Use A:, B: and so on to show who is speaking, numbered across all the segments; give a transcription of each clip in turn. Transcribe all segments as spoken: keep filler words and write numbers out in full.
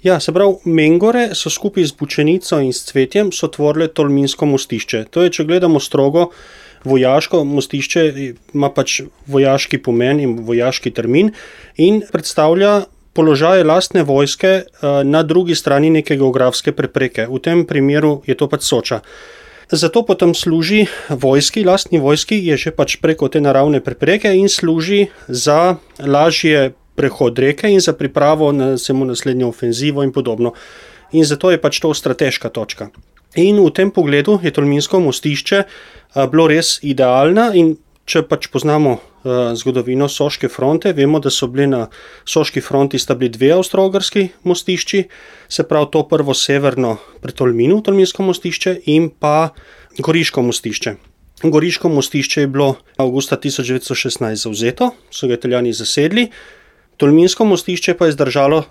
A: Ja, se pravi, Mengore so skupaj z Bučenico in s Cvetjem so tvorile Tolminsko mostišče. To je, če gledamo strogo vojaško, mostišče ima pač vojaški pomen in vojaški termin in predstavlja položaje lastne vojske na drugi strani neke geografske prepreke. V tem primeru je to pač Soča. Zato potem služi vojski, lastni vojski je že pač preko te naravne prepreke in služi za lažje prehod reke in za pripravo na samo naslednjo ofenzivo in podobno. In zato je pač to strateška točka. In v tem pogledu je Tolminsko mostišče bilo res idealna in če pač poznamo zgodovino Soške fronte, vemo, da so bili na Soški fronti sta bili dve avstro-ogrski mostišči, se pravi to prvo severno pri Tolminu, Tolminsko mostišče in pa Goriško mostišče. Goriško mostišče je bilo avgusta tisoč devetsto šestnajst zavzeto, so ga Italijani zasedli. Tolminsko mostišče pa je zdržalo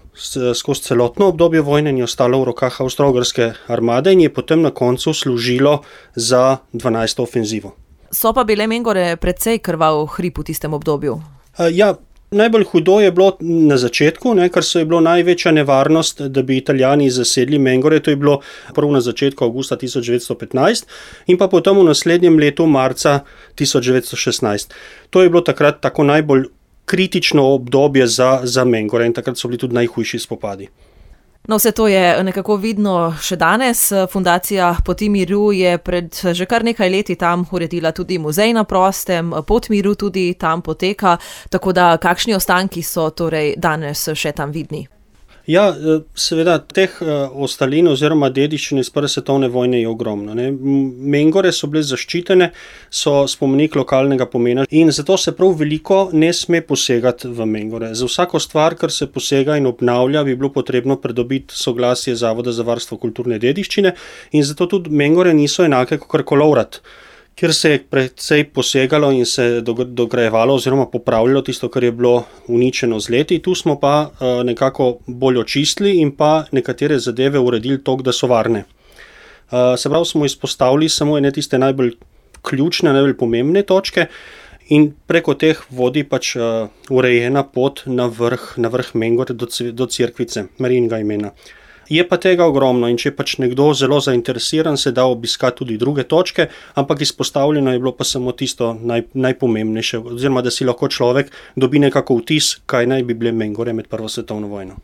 A: skozi celotno obdobje vojne in je ostalo v rokah avstro-ogrske armade in je potem na koncu služilo za dvanajsto ofenzivo.
B: So pa bile Mengore precej krvav hrib v tistem obdobju?
A: Ja, najbolj hudo je bilo na začetku, ne, ker so je bilo največja nevarnost, da bi Italijani zasedli Mengore, to je bilo prvo na začetku avgusta tisoč devetsto petnajst in pa potem v naslednjem letu marca tisoč devetsto šestnajst. To je bilo takrat tako najbolj kritično obdobje za, za Mengore in takrat so bili tudi najhujši spopadi.
B: No, vse to je nekako vidno še danes. Fundacija Poti miru je pred že kar nekaj leti tam uredila tudi muzej na prostem, Pot miru tudi tam poteka, tako da kakšni ostanki so torej danes še tam vidni?
A: Ja, seveda, teh ostalin oziroma dediščine iz prve svetovne vojne je ogromno. Ne. Mengore so bile zaščitene, so spomenik lokalnega pomena in zato se prav veliko ne sme posegati v Mengore. Za vsako stvar, kar se posega in obnavlja, bi bilo potrebno pridobiti soglasje Zavoda za varstvo kulturne dediščine in zato tudi Mengore niso enake kot Kolovrat, kjer se je precej posegalo in se dograjevalo oziroma popravljalo tisto, kar je bilo uničeno z leti. Tu smo pa nekako bolj očistili in pa nekatere zadeve uredili tako, da so varne. Se pravi, smo izpostavili samo ene tiste najbolj ključne, najbolj pomembne točke in preko teh vodi pač urejena pot na vrh, na vrh Mengore do, do Cerkvice, Marijinega imena. Je pa tega ogromno in če je pač nekdo zelo zainteresiran, se da obiskati tudi druge točke, ampak izpostavljeno je bilo pa samo tisto naj, najpomembnejše, oziroma da si lahko človek dobi nekako vtis, kaj naj bi bile Mengore med prvo svetovno vojno.